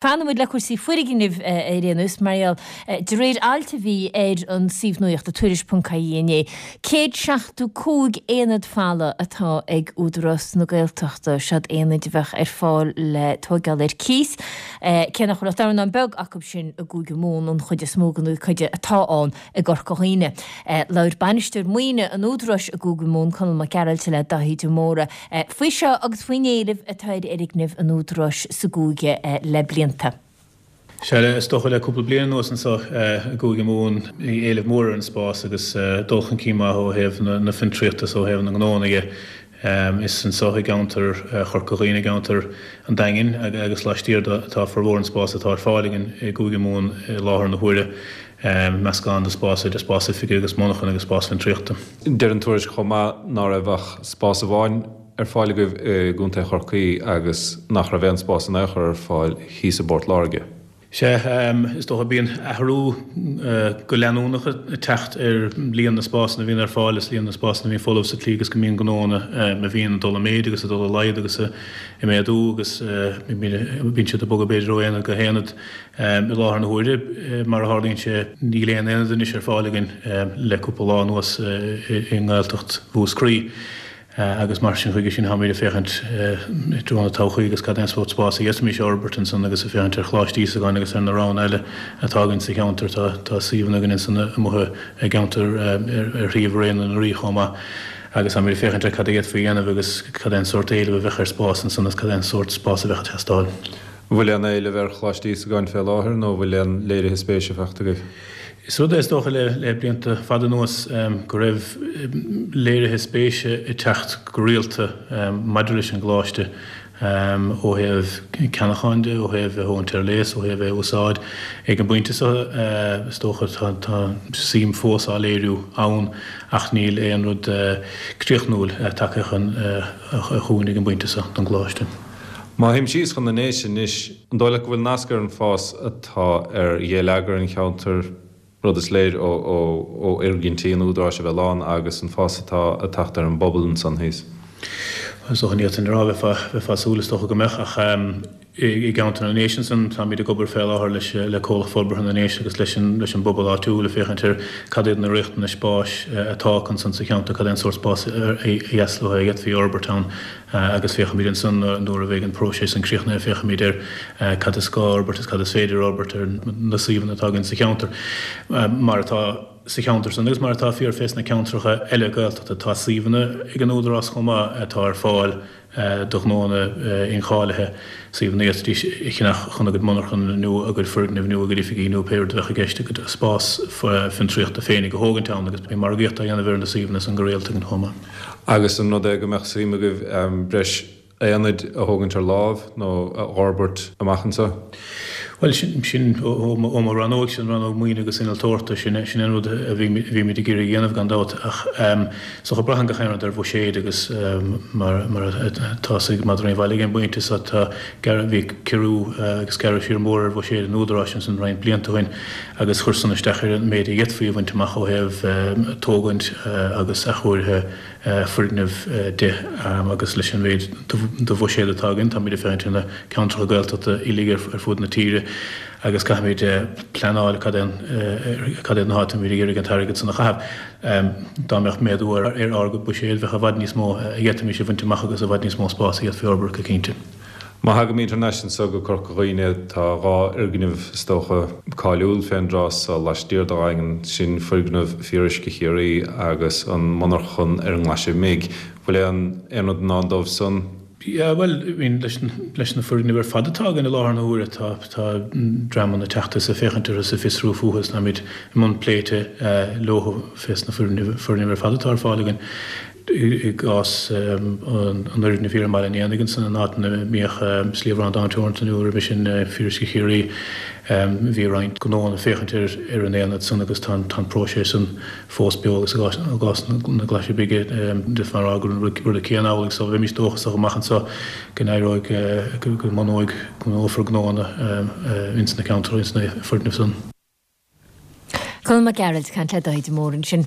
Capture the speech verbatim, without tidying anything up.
Fanfaidh muid le cúrsaí foirgnimh ar aon nós, mar gheall, de réir ailt a bhí ar an suíomh nuachta Tuairisc ponc ie inné, céad seachtó cúig aonad folamh atá ag Údarás na Gaeltachta, seod aonaid a bheadh ar fáil le tóigeáil ar cíos, cé nach bhfuil ach dornán beag acu sin i gCúige Mumhan, an chuid is mó den chuid atá ann i gCorca Dhuibhne. Labhair Bainisteoir Maoine an Údaráis i gCúige Mumhan, Conall Mac Gearailt le Daithí de Mórdha faoi seo agus faoin éileamh atá ar fhoirgnimh an Údaráis sa gcúige le blianta. Sea, is dócha le cúpla bliain anuas anseo i gCúige Mumhan, bhí éileamh mór ar an spás agus dul chun cinn maith ó thaobh na fiontraíochta is ó thaobh na ngnóanna dhe. Is anseo i gceantar Chorca Dhuibhne, i gceantar an Daingin agus laistiar de atá formhór an spás atá ar fáil againn i gCúige Mumhan i láthair na huaire, meascán de spás idir spás oifige agus monarchan agus spás fiontraíochta. Deir an tuairisc chomh maith ná raibh ach spás amháin ar fáil agaibh i gContae Chorcaí agus nach raibh aon spás in aon chor ar fáil thíos i bPort Láirge. Sea, is dócha bíonn athrú go leanúnach ag teacht ar líon na spásanna a bhíonn ar fáil is líon na spásanna a bhíonn folamh sa tslí agus go mbíonn gnóanna a bhíonn ag dul i méid agus ag dul i laghad agus ag méadú agus bíonn siad ag bogadh b'fhéidir ó aonad go haonad. I láthair na huaire, mar a tharlaíonn sé, níl aon aonad anois ar fáil againn le cúpla lá anuas i nGaeltacht Mhúscraí. Agus mar sin, chuige sin, táimid ag féachaint i dtreo na todhchaí agus cad é an sórt spáis a d'fhéadfaimis a fhorbairt ansan agus ag féachaint ar Choláiste Íosagáin agus ar na roghanna eile atá againn sa cheantar. Tá tá suíomhanna againn ansan amuigh i gceantar ar thaobh Raon na Rí chomh maith agus táimid ag féachaint ar cad a d'fhéadfaí a dhéanamh agus cad é an sórt éileamh a bheadh ar spás ansan agus cad é an sórt spás a bheadh ag teastáil. An bhfuil aon éileamh ar Choláiste Íosagáin fé láthair nó an bhfuil aon léirithe spéise faighte agaibh? Is rud é is dócha le blianta fada anuas go raibh léirithe spéise ag teacht go rialta maidir leis an gcoláiste ó thaobh ceannacháin de, ó thaobh é a thógaint ar léas, ó thaobh é a úsáid. Ag an bpointe seo is dócha tá suim fós á léiriú ann ach níl aon rud críochnúil tagtha chugainn ag an bpointe seo don gcoláiste. Má théim síos chun na nDéise anois, an dóigh leat go bhfuil nasc ar an fás atá ar gheilleagar an cheantair, rud is léir ó fhoirgintí an Údaráis a bheith lán agus an fás atá ag teacht ar an bpobal ansan thíos? Is dócha ní fhéadfainn a rá, bheifeá ag súil is dócha go mbeadh, ach i gceantar na nDéise ansan táimid ag obair fé láthair leis le Comhlacht Forbartha na nDéise agus leis an leis an bpobal áitiúil ag féachaint ar cad iad na riachtanais spáis atá acu ansan sa cheantar, cad é an sórt spáis a dheas leo a d'fhéadfaí a fhorbairt ann. Agus féachfaimid ansan nuair a bheidh an próiseas san críochnaithe, féachfaimid ar cad is gá a fhorbairt is cad is féidir a fhorbairt ar na suíomhanna atá againn sa cheantar. Mar atá sa cheantar san agus mar atá fíor fés na ceantracha eile Gaeltachta, tá suíomhanna ag an Údarás chomh maith atá ar fáil do ghnóanna incháilithe, suíomhanna a d'fhéadfaidís a cheannach chun a gcuid monarchan nó a gcuid foirgneamh nó a gcuid oifigí nó pé rud a bheadh i gceist, a gcuid spás fiontraíochta féinig a thógaint ann agus bíonn margaíocht á dhéanamh ar na suíomhanna san go rialta againn chomh maith. Agus an rud é go mbeadh suim agaibh breis aonaid a thógaint ar láimh nó a fhorbairt amach anseo? Bhuel, sin ó mo rannóg, sin rannóg maoine agus innealtóireachta, sin sin an rud a bhímid ag iarraidh a dhéanamh gan dabht. Ach is dócha braitheann gach aon rud ar bhuiséid agus mar mar atá a fhios ag madraí an bhaile ag an bpointe seo tá gearradh, bhí ciorrú agus gearradh siar mór ar bhuiséad an Údaráis ansan roinnt blianta ó shin agus chuir san isteach ar an méid a d'fhéadfaí a bhaint amach ó thaobh tógaint agus athchóirithe foirgneamh de agus leis an mhéid de bhuiséad atá againn, táimid ag féachaint ar na ceantracha Gaeltachta uilig ar fud na tíre agus caithfimid pleanáil cad é cad iad na háiteanna a bhfuilimid ag iarraidh an t-airgead san a chaitheamh. Dá mbeadh méadú ar ár gcuid buiséid, bheadh i bhfad níos mó a d'fhéadfaimis a bhaint amach agus i bhfad níos mó spáis a d'fhéadfaí a fhorbairt go cinnte. Má thagaimid thar n-ais anso go Corca Dhuibhne, tá dhá fhoirgneamh, is dócha, cáiliúil fén dtráth so laistiar de Dhaingean, sin foirgneamh Fíoruisce Chiarraí agus an monarchan ar an nGlaise Bhig. Bhfuil aon aon rud i ndán dóibh san? Yeah, bhuel, I mean, leis leis na foirgnimh ar fad atá againn i láthair na huaire, tá tá dreamanna ag teacht is ag féachaint orthu is ag fiosrú fúthu is táimid i mbun pléite leo fés na foirgnimh foirgnimh ar fad atá ar fáil againn. I gcás an fhoirgnimh thiar i mBaile an Éanaigh ansan, an áit ina mbíodh Sliabh Bhrandáin Teoranta nó roimhe sin Fíoruisce Chiarraí, bhí roinnt gnóanna ag féachaint ar an aonad san agus tá an próiseas san fós beo agus i gcás na Glaise Bige d'fhéadfá a rá gur an rud céanna amhlaidh so bheimis dóchasach amach anso go n-éireoidh, go mbunóidh, go mbunófar gnóanna ins na ceantair, ins na foirgnimh san. Conall Mac Gearailt ag caint le Daithí de Mórdha ansin.